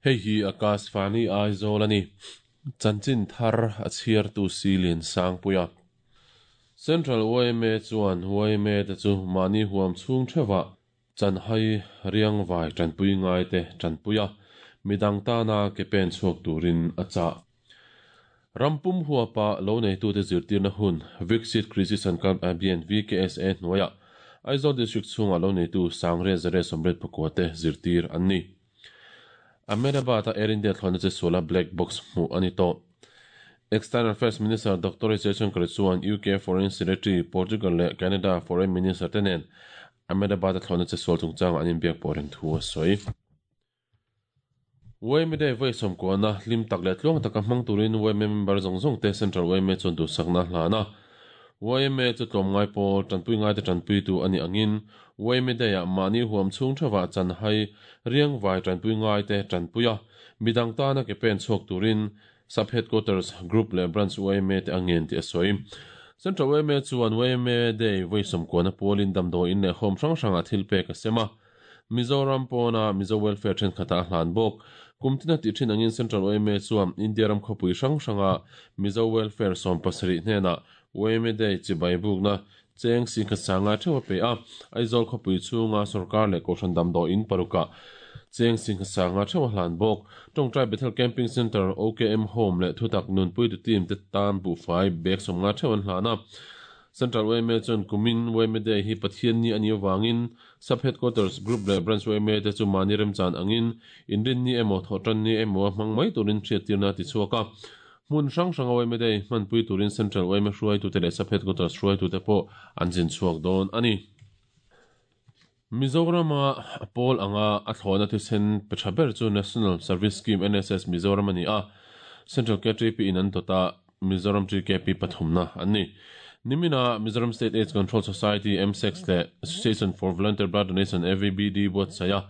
Hei hi Akashvani Aizawl a ni. Chanchin thar a chhiartu Silin Sangpuia. Central yma chuan yma te chu mahni huam chhung theuhah chanhai riangvai tanpui ngaite tanpui a, midang tana ke pen chhuak turin a chah. Ram pum huapa lo neitute zirtirna hun Viksit Krishi Sankalp Abhiyan, VKSA, hnuaiah Aizawl District chhungah lo neitu 1884 te zirtir an ni. Ahmedabad-a Air India thlawhna che suala black box hmuh a ni tawh. External Affairs Minister Doctor S Jaishankar chuan UK Foreign Secretary, Portugal leh Canada Foreign Minister te nen Ahmedabad-a thlawhna che sual chungchangah an inbiak pawh reng thu a sawi. Yma Day vawi sawmkuahna hlim tak leh tluang taka hmang turin yma member zawng zawng te Central yma chuan duhsakna a hlan a. Yma chu tlawmngai pawl, tanpui ngaite tanpuitu a nih angin yma Day-ah mahni huam chhung theuhah chanhai riangvai tanpui ngaite tanpui a, midang tana ke pen chhuak turin Sub Headquarters, Group leh Branch yma te a ngen tih a sawi. Central yma chuan yma Day vawi sawmkuahna pualin damdawiin leh home hrang hrangah thil pek a sem a. Mizoram pawna Mizo Welfare thenkhatah a hlan bawk. Kum tina tih thin angin Central yma chuan India ram khawpui hrang hranga Mizo Welfare 70 hnenah yma Day chibai bukna cheng singkhat sanga theuh a pe a. Aizawl khawpui chhunga sorkar leh kohhran damdawiin parukah cheng singkhat sanga theuh a hlan bawk. Tawngtai Bethel Camping Centre, OKM Home leh Thutak Nunpuitu Team te tan buhfai bag 50 theuh an hlan a. Central yma chuan kumin yma Day hi Pathian ni a nih avangin Sub Headquarters, Group leh Branch yma te chu mahni remchan angin inrinni emaw thawhtanni emaw a hmang mai turin hriattirna a ti chhuak a. Hmun hrang hranga yma Day hmanpui turin Central yma hruaitute leh Sub Headquarters hruaitute pawh an zin chhuak dawn a ni. Mizorama pawl anga a thlawhna thisen pe tha ber chu National Service Scheme, NSS, Mizoram a ni a, Central KTP in an dawt a, Mizoram TKP pathumna an ni. Nimina Mizoram State AIDS Control Society, MSACS, leh Association for Volunteer Blood Donation, AVBD, buatsaih a,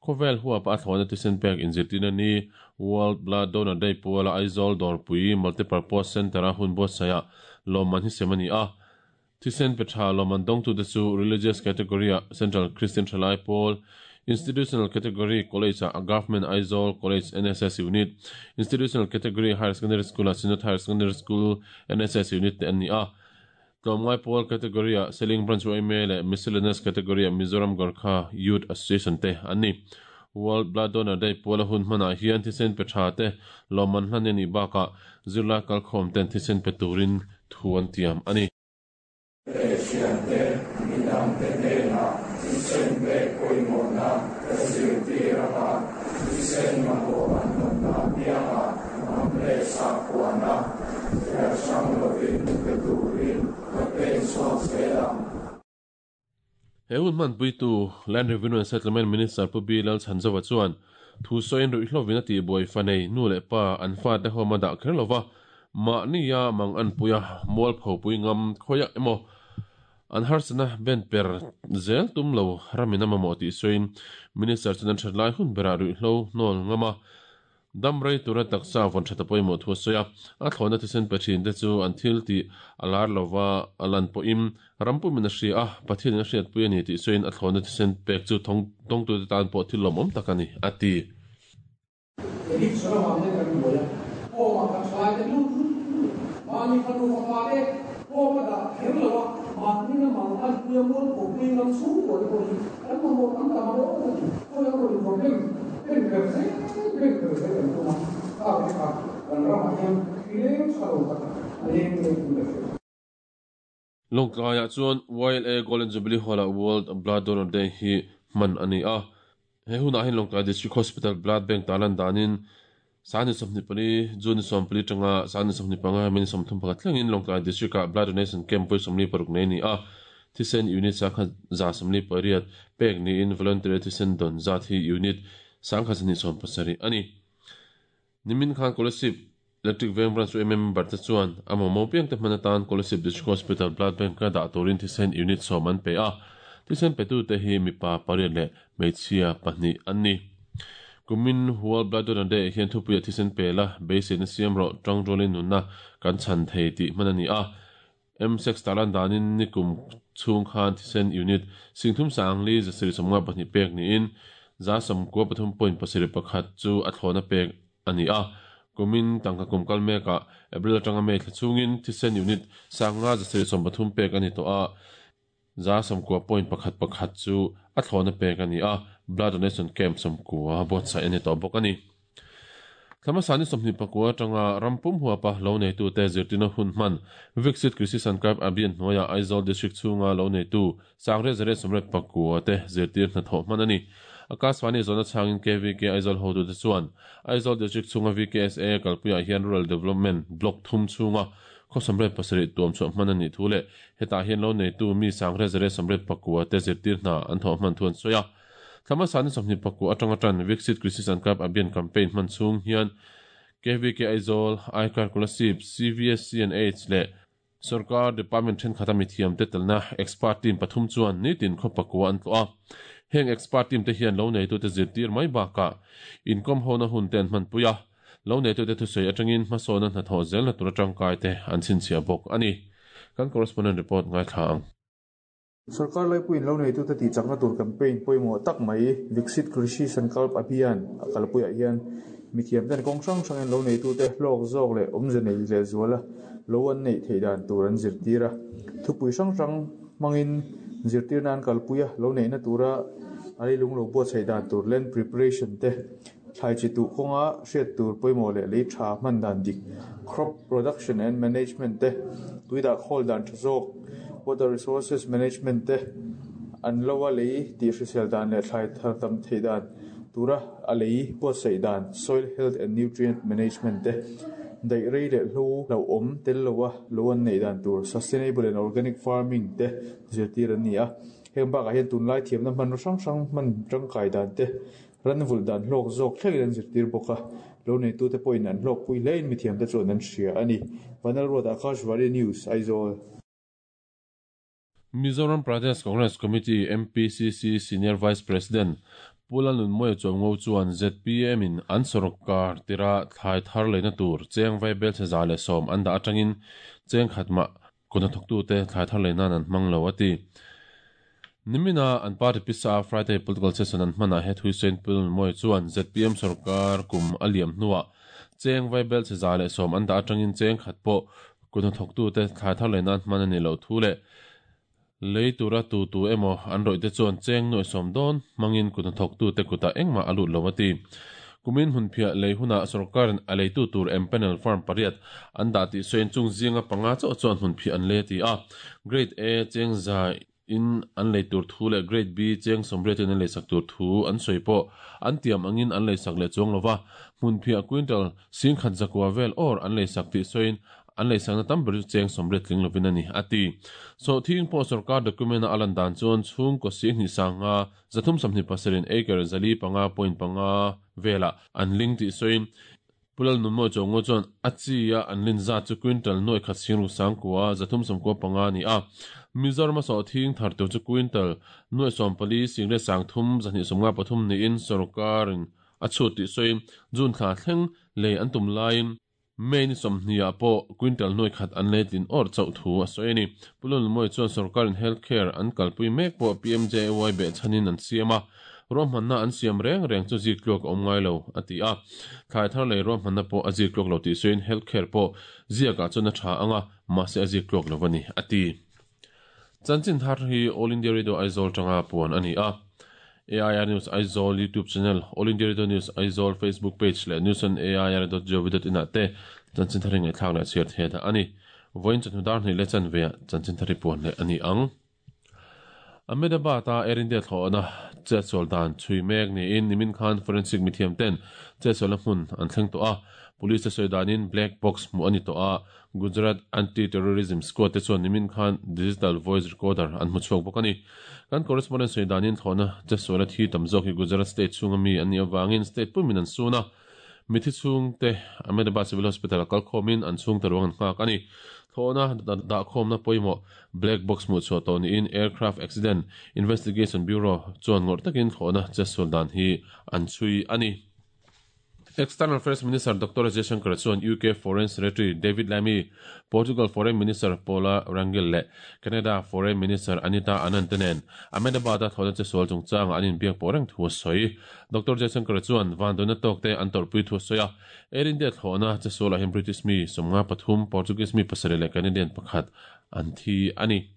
khawvel huapa a thlawhna thisen pek inzirtirna ni World Blood Donor Day puala Aizawl Dawrpui Multipurpose Centre-a hun buatsaihah lawmman hi sem a ni a. Thisen pe tha lawmman dawngtute chu Religious Category-ah Central Christian Thalai Pawl, Institutional Category College-ah Government Aizawl College NSS Unit, Institutional Category Higher Secondary School-ah Synod Higher Secondary School NSS Unit te an ni a. Tlawmngai Pawl Category-ah Seling Branch yma leh Miscellaneous Category-ah Mizoram Gorkha Youth Association te an ni. World Blood Donor Day puala hun hmanah hian thisen pe tha te lawmman hlan a nih bakah zirlai kalkhawm ten thisen pe turin thu an tiam a ni. Thiante, midangte hnenah thisen pek pawimawhna ka zirtir anga, thisen mamawh an awmna apiangah hnam leh sakhuana thliar hrang lovin pe turin ka pen chhuak zel ang. He hun hmanpuitu Land Revenue and Settlement Minister Pu B Lalchhanzova chuan thu sawiin ruihhlovin a tihbuai fa nei nu leh pa an fate home a dah kher lova, mahnia mang anpuia mualphopui ngam khawiah emaw an harsatna ben per zel tum lo ramin a mamawh tih sawiin Minister chuan an that lai hun berah ruihhlo hnawl ngam a Dam rei tura taksa vawn that a pawimawh thu a sawi a, a thlawhna thisen pe thin te chu an thil tih a lar lova a lan pawhin ram pumin a hria a, Pathianin a hriatpui a ni tih sawiin a thlawhna thisen pek chu tawngtute tan pawh thil lawmawm tak a ni, a ti. Addiction avang hian kan buai a, home-ah kan thalai te lut lut lut, mahni fanu fapa te home a dah kher lo a, mahni na mang an puia mual pawh pui ngam chhungkua te pawh hi kan mamawh tam tam a rawng a ti. Khawi ang rawn problem pen ber zel pen ber zel kan tum a, kha te kha kan ramah hian thileng tha lo tak a leng mek in ka hria. Lawngtlaiah chuan YLA Golden Jubilee Hall-ah World Blood Donor Day hi hman a ni a. He hunah hian Lawngtlai District Hospital Blood Bank tarlan danin Sani 24, June 14 atanga Sani 25, May 31 thlengin Lawngtlai District-ah Blood Donation Camp vawi 46 nei a ni a. Thisen unit 1,148 pek niin voluntary thisen dawn zat hi unit 1,270 a ni. Nimin khan Kolasib Electric Veng Branch yma member te chuan a mamawh piangte hman atan Kolasib District Hospital Blood Bank a dah turin thisen unit sawm an pe a, thisen petute hi mipa pariat leh hmeichhia pahnih an ni. Kumin World Blood Donor Day ah hian thupuia thisen pe la, beiseina siam rawh, tangrualin nunna kan chhan thei tih hman a ni a. M-sex tarlan danin nikum chhung khan thisen unit 34,052 pek niin 93.71 chu a thlawna pek a ni a. Kumin tangka kum kal mekah April atanga May thla chhungin thisen unit 5,730 pek a ni tawh a, 90.11 chu a thlawna pek a ni a, blood donation camp 90 buatsaih a ni tawh bawk a ni. Thla hmasa ni 29 atanga ram pum huapa lo neitute zirtirna hun hman Viksit Krishi Sankalp Abhiyan hnuaiah Aizawl District chhunga lo neitu 9,889 te zirtir hnathawh hman a ni. Akashvani zawhna chhangin KVK Aizawl hotute chuan Aizawl District chhunga VKSA kalpuiah hian Rural Development Block thum chhunga khaw 87 tuam chhuah hman a nih thu leh hetah hian lo neitu mi 9,889 te zirtir hna an thawh hman thu an sawi a. Thla hmasa ni 29 atanga tan Viksit Krishi Sankalp Abhiyan campaign hman chhung hian KVK Aizawl, Aikar Kolasib, CVSCNH leh Sorkar department thenkhat a mithiam te telna expert team pathum chuan nitin khaw pakua an tlawh a. Heng expert team te hian lo neitute zirtir mai bakah inkawm hona hun te an hmanpui a, lo neitute thusawi atangin hmasawna hnathawh zelna tur atangkai te an chhinchhiah bawk a ni. Kan correspondent report ngaithla ang. Sorkar laipuiin lo neitute tihchakna tur campaign pawimawh tak mai Viksit Krishi Sankalp Abhiyan a kalpuiah hian mithiamten kawng hrang hrangin lo neitute hlawk zawk leh awmze nei lehzuala lo an neih theih dan tur an zirtir a. Thupui hrang hrang hmangin zirtirna an kalpui a, lo neihna tura a leilung lo buatsaih dan tur land preparation te, thlai chi tuh kawnga hriat tur pawimawh leh lei tha hman dan dik, crop production and management te, tui dah khawl dan tha zawk, water resources management te, an lo a lei tih hrisel dan leh thlai thar tam theih dan tura a lei buatsaih dan, soil health and nutrient management te, daih rei leh hlo hlauhawm tel loa lo an neih dan tur, sustainable and organic farming te zirtir an ni a. Heng bakah hian tunlai thiamna hmanraw hrang hrang hman tangkai dan te, Ran vulh dan hlawk zawk thlengin an zirtir bawk a, lo neitute pawhin an hlawkpui hlein mithiamte chuan an hria a ni. Vanlalruat Akashvani News, Aizawl. Mizoram Pradesh Congress Committee, MPCC, Senior Vice President Pu Lalnunmawia Chuango chuan zpm in an sawrkar tirah thlai thar leina tur cheng vaibelchhe 110 an dah atangin cheng khat mah Kut hnathawktute thlai thar leh nan an hmang lo, a ti. Nimina an party pisa a Friday political session an hmanah he Thuisein Pulmawi chuan zpm sorkar kum a liam hnuah cheng vaibel chhe 110 an dah atangin cheng khat pawh kut hnathawktute thlai thar leh nan hman a nih loh thu leh lei tura tu tu emaw an rawihte chuan cheng nuaih sawm dawn hmangin kut hnathawktute kutah engmah a lut lo, a ti. Kumin hmunphiah lei hunah sorkarin a leitu tur empanel firm pariat an dah tih sawiin chung zinga panga chauh chuan hmunphiah an lei a ti a. Grade A cheng za in an lei tur thu leh Grade B cheng sawmriat in an leisak tur thu an sawi pawh an tiam angin an leisak leh chuang lova, hmunphiah quintal singkhat zakua vel awr an leisak tih sawiin An leisakna tam ber chu cheng sawmriat tling lovin a ni, a ti. Sawhthing pawh sorkar document-a a lan dan chuan chhungkaw sihnih sanga 327 acre 405.5 velah an ling tih sawiin Pu Lalnunmawi Chawngaw chuan a chi-a an lin zat chu quintal nuai khat sing ruk sangkua 395 a ni a. Mizoram-a sawhthing thar tur chu quintal nuai sawmpali singriat sangthum 253 niin sorkarin a chhut tih sawiin June thla thleng lei an tum laiin May ni 20 ah pawh quintal nuai khat an lei tlin awrh chauh thu a sawi a ni. Pu Lulmawi chuan sorkarin health care an kalpui mek pawh PMJAY behchhanin an siam a, ruahmanna an siam reng reng chu zik tluak a awm ngai lo, a ti a. Thlai thar lei ruahmanna pawh a zik tluak lo tih sawiin health care pawh ziakah chuan a tha ang a, mahse a zik tluak lo a ni, a ti. Chanchin thar hi All India Radio Aizawl tanga puan a ni a. AIR News Aizawl YouTube channel, All India Radio News Aizawl Facebook page leh newsonair.gov.in ah te chanchin thar hi ngaihthlak leh chhiar thei dah a ni. Vawiin chawhnu dar hnih leh chanve ah chanchin thar hi puan leh a ni ang. Ahmedabad a Air India thlawhna chetsual dan chhui mek niin nimin khan forensic mithiam ten chetsualna hmun an thleng tawh a. Police te sawi danin black box hmuh a ni tawh a, Gujarat Anti-Terrorism Squad te chuan nimin khan digital voice recorder an hmu chhuak bawk a ni. Kan correspondent sawi danin thlawhna chetsuala thi tam zawk hi Gujarat state chhunga mi an nih avangin state pumin an sun a, mithi chhungte Ahmedabad Civil Hospital a kal khawmin an chhungte ruang an nghak a ni. Thlawhna dahkhawmna pawimawh black box hmuh chhuah tawh niin Aircraft Accident Investigation Bureau chuan ngawrh takin thlawhna chetsual dan hi an chhui a ni. External Affairs Minister Doctor Jaishankar chuan UK Foreign Secretary David Lammy, Portugal Foreign Minister Paula Rangel leh Canada Foreign Minister Anita Anand te nen Ahmedabad-a thlawhna chesual chungchangah an inbiak pawh reng thu a sawi. Doctor Jaishankar chuan vanduaina tawkte an tawrhpui thu a sawi a, Air India thlawhna chesualah hian British mi 53, Portuguese mi pasarih leh Canadian pakhat an thi a ni.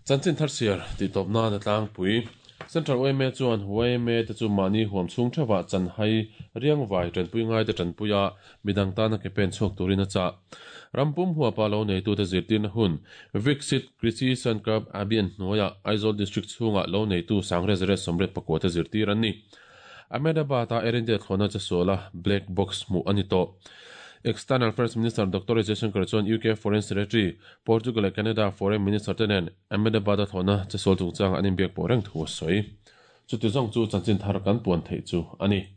Chanchin thar siar tih tawp nan a tlangpui. Central yma chuan yma te chu mahni huam chhung theuhah chanhai riangvai tanpui ngaite tanpuia midang tana ke pen chhuak turin a chah. Ram pum huapa lo neitute zirtirna hun Viksit Krishi Sankalp Abhiyan hnuaiah Aizawl District chhungah lo neitu Sangrezare 84 te zirtir an ni. Ahmedabad-a Air India thlawhna chesuala black box hmuh a ni tawh. External Affairs Minister Doctor Jaishankar chuan UK Foreign Secretary, Portugal leh Canada Foreign Minister te nen Ahmedabad-a thlawhna chesual chungchangah an inbiak pawh reng thu a sawi. Chuti zawng chu chanchin thar kan puan theih chu a ni.